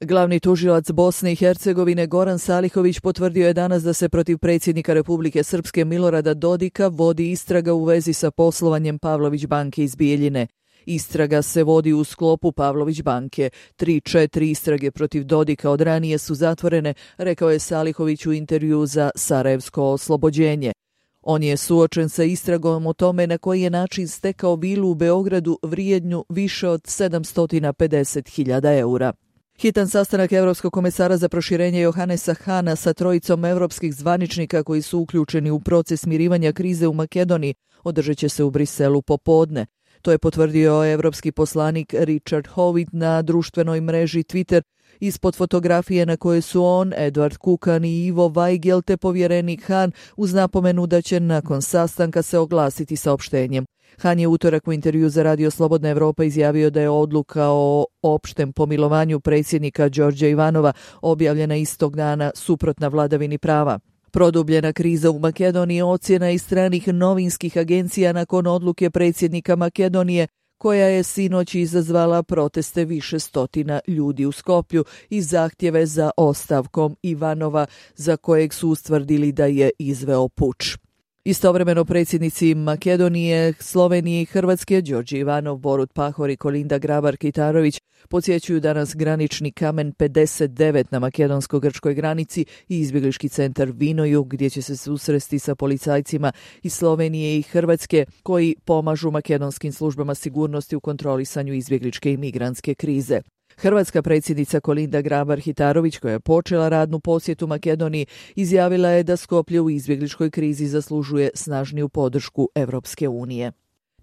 Glavni tužilac Bosne i Hercegovine Goran Salihović potvrdio je danas da se protiv predsjednika Republike Srpske Milorada Dodika vodi istraga u vezi sa poslovanjem Pavlović banke iz Bijeljine. Istraga se vodi u sklopu Pavlović banke. 3-4 istrage protiv Dodika od ranije su zatvorene, rekao je Salihović u intervju za Sarajevsko oslobođenje. On je suočen sa istragom o tome na koji je način stekao vilu u Beogradu vrijednu više od 750.000 eura. Hitan sastanak Evropskog komesara za proširenje Johannesa Hahna sa trojicom evropskih zvaničnika koji su uključeni u proces smirivanja krize u Makedoniji održat će se u Briselu popodne. To je potvrdio evropski poslanik Richard Howitt na društvenoj mreži Twitter ispod fotografije na kojoj su on, Edward Kukan i Ivo Weigel te povjerenik Hahn uz napomenu da će nakon sastanka se oglasiti saopštenjem. Hahn je utorak u intervju za Radio Slobodna Evropa izjavio da je odluka o opštem pomilovanju predsjednika Đorđa Ivanova objavljena istog dana suprotna vladavini prava. Produbljena kriza u Makedoniji ocjena i stranih novinskih agencija nakon odluke predsjednika Makedonije, koja je sinoć izazvala proteste više stotina ljudi u Skoplju i zahtjeve za ostavkom Ivanova, za kojeg su ustvrdili da je izveo puč. Istovremeno predsjednici Makedonije, Slovenije i Hrvatske, Đorđe Ivanov, Borut Pahor i Kolinda Grabar-Kitarović podsjećuju danas granični kamen 59 na makedonsko-grčkoj granici i izbjeglički centar Vinoju, gdje će se susresti sa policajcima iz Slovenije i Hrvatske koji pomažu makedonskim službama sigurnosti u kontrolisanju izbjegličke i migrantske krize. Hrvatska predsjednica Kolinda Grabar-Kitarović, koja je počela radnu posjetu Makedoniji, izjavila je da Skoplje u izbjegličkoj krizi zaslužuje snažniju podršku Evropske unije.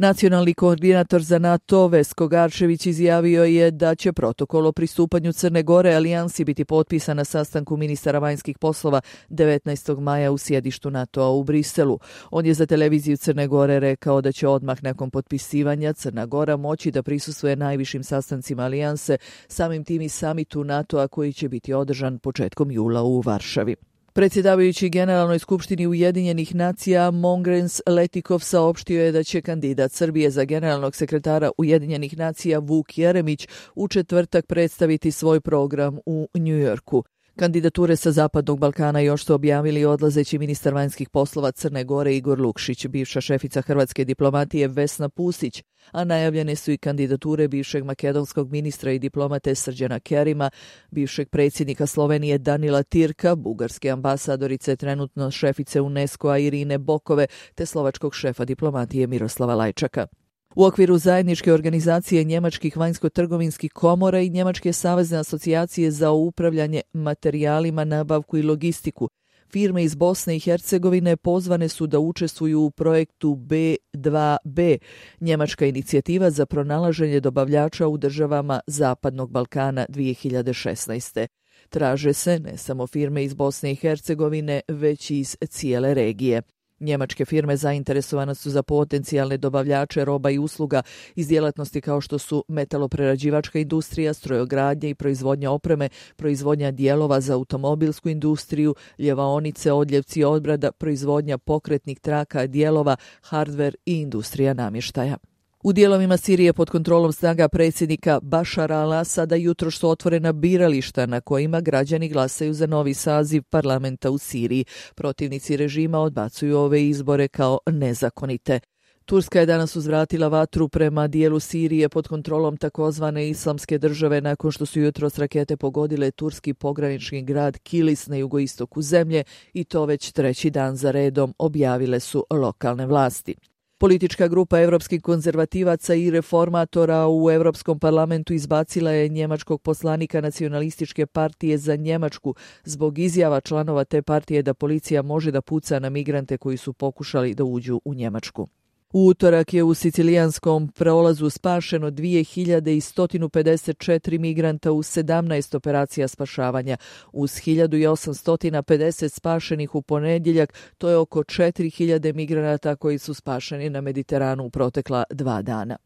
Nacionalni koordinator za NATO Vesko Garčević izjavio je da će protokol o pristupanju Crne Gore alijansi biti potpisan na sastanku ministara vanjskih poslova 19. maja u sjedištu NATO-a u Briselu. On je za televiziju Crne Gore rekao da će odmah nakon potpisivanja Crna Gora moći da prisustvuje najvišim sastancima alijanse, samim tim i samitu NATO-a koji će biti održan početkom jula u Varšavi. Predsjedavajući Generalnoj skupštini Ujedinjenih nacija Mongrens Letikov saopštio je da će kandidat Srbije za generalnog sekretara Ujedinjenih nacija Vuk Jeremić u četvrtak predstaviti svoj program u Njujorku. Kandidature sa Zapadnog Balkana još su objavili odlazeći ministar vanjskih poslova Crne Gore Igor Lukšić, bivša šefica hrvatske diplomatije Vesna Pusić, a najavljene su i kandidature bivšeg makedonskog ministra i diplomate Srđana Kerima, bivšeg predsjednika Slovenije Danila Tirka, bugarske ambasadorice trenutno šefice UNESCO-a Irine Bokove te slovačkog šefa diplomatije Miroslava Lajčaka. U okviru zajedničke organizacije Njemačkih vanjsko-trgovinskih komora i Njemačke savezne asocijacije za upravljanje materijalima, nabavku i logistiku, firme iz Bosne i Hercegovine pozvane su da učestvuju u projektu B2B, njemačka inicijativa za pronalaženje dobavljača u državama Zapadnog Balkana 2016. Traže se ne samo firme iz Bosne i Hercegovine, već i iz cijele regije. Njemačke firme zainteresovane su za potencijalne dobavljače roba i usluga iz djelatnosti kao što su metaloprerađivačka industrija, strojogradnja i proizvodnja opreme, proizvodnja dijelova za automobilsku industriju, ljevaonice, odljevci odbrada, proizvodnja pokretnih traka, dijelova, hardver i industrija namještaja. U dijelovima Sirije pod kontrolom snaga predsjednika Bašara al-Asada jutros su otvorena birališta na kojima građani glasaju za novi saziv parlamenta u Siriji. Protivnici režima odbacuju ove izbore kao nezakonite. Turska je danas uzvratila vatru prema dijelu Sirije pod kontrolom takozvane Islamske države nakon što su jutros rakete pogodile turski pogranični grad Kilis na jugoistoku zemlje i to već treći dan za redom, objavile su lokalne vlasti. Politička grupa europskih konzervativaca i reformatora u Europskom parlamentu izbacila je njemačkog poslanika Nacionalističke partije za Njemačku zbog izjava članova te partije da policija može da puca na migrante koji su pokušali da uđu u Njemačku. U utorak je u sicilijanskom prolazu spašeno 2154 migranta u 17 operacija spašavanja. Uz 1850 spašenih u ponedjeljak, to je oko 4000 migranata koji su spašeni na Mediteranu u protekla 2 dana.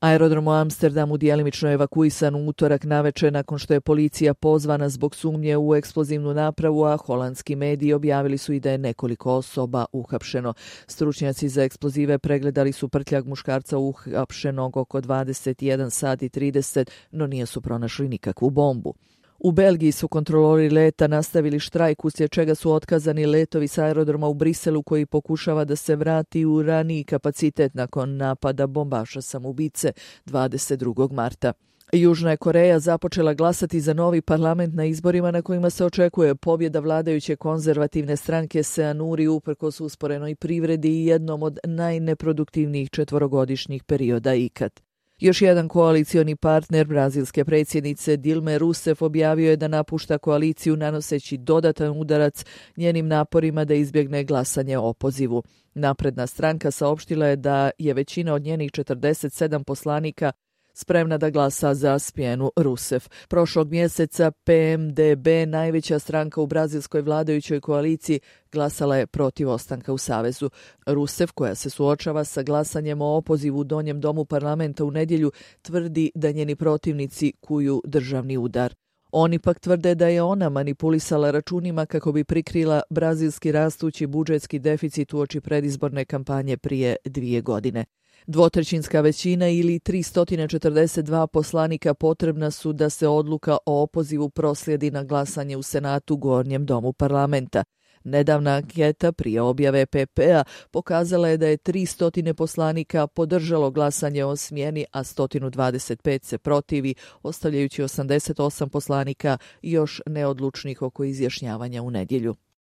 Aerodrom u Amsterdamu djelimično je evakuisan u utorak navečer nakon što je policija pozvana zbog sumnje u eksplozivnu napravu, a holandski mediji objavili su i da je nekoliko osoba uhapšeno. Stručnjaci za eksplozive pregledali su prtljag muškarca uhapšenog oko 21 sat i 30, no nisu pronašli nikakvu bombu. U Belgiji su kontrolori leta nastavili štrajk uslijed čega su otkazani letovi s aerodroma u Briselu koji pokušava da se vrati u raniji kapacitet nakon napada bombaša samoubice 22. marta. Južna je Koreja započela glasati za novi parlament na izborima na kojima se očekuje pobjeda vladajuće konzervativne stranke Seanuri uprkos usporenoj privredi i jednom od najneproduktivnijih četvorogodišnjih perioda ikad. Još jedan koalicioni partner brazilske predsjednice Dilme Rousseff objavio je da napušta koaliciju nanoseći dodatan udarac njenim naporima da izbjegne glasanje o opozivu. Napredna stranka saopštila je da je većina od njenih 47 poslanika spremna da glasa za smjenu Rousseff. Prošlog mjeseca PMDB, najveća stranka u brazilskoj vladajućoj koaliciji, glasala je protiv ostanka u savezu. Rousseff, koja se suočava sa glasanjem o opozivu u donjem domu parlamenta u nedjelju, tvrdi da njeni protivnici kuju državni udar. Oni pak tvrde da je ona manipulisala računima kako bi prikrila brazilski rastući budžetski deficit uoči predizborne kampanje prije 2 godine. Dvotrećinska većina ili 342 poslanika potrebna su da se odluka o opozivu proslijedi na glasanje u Senatu, gornjem domu parlamenta. Nedavna anketa prije objave PP-a pokazala je da je 300 poslanika podržalo glasanje o smjeni, a 125 se protivi, ostavljajući 88 poslanika još neodlučnih oko izjašnjavanja u nedjelju.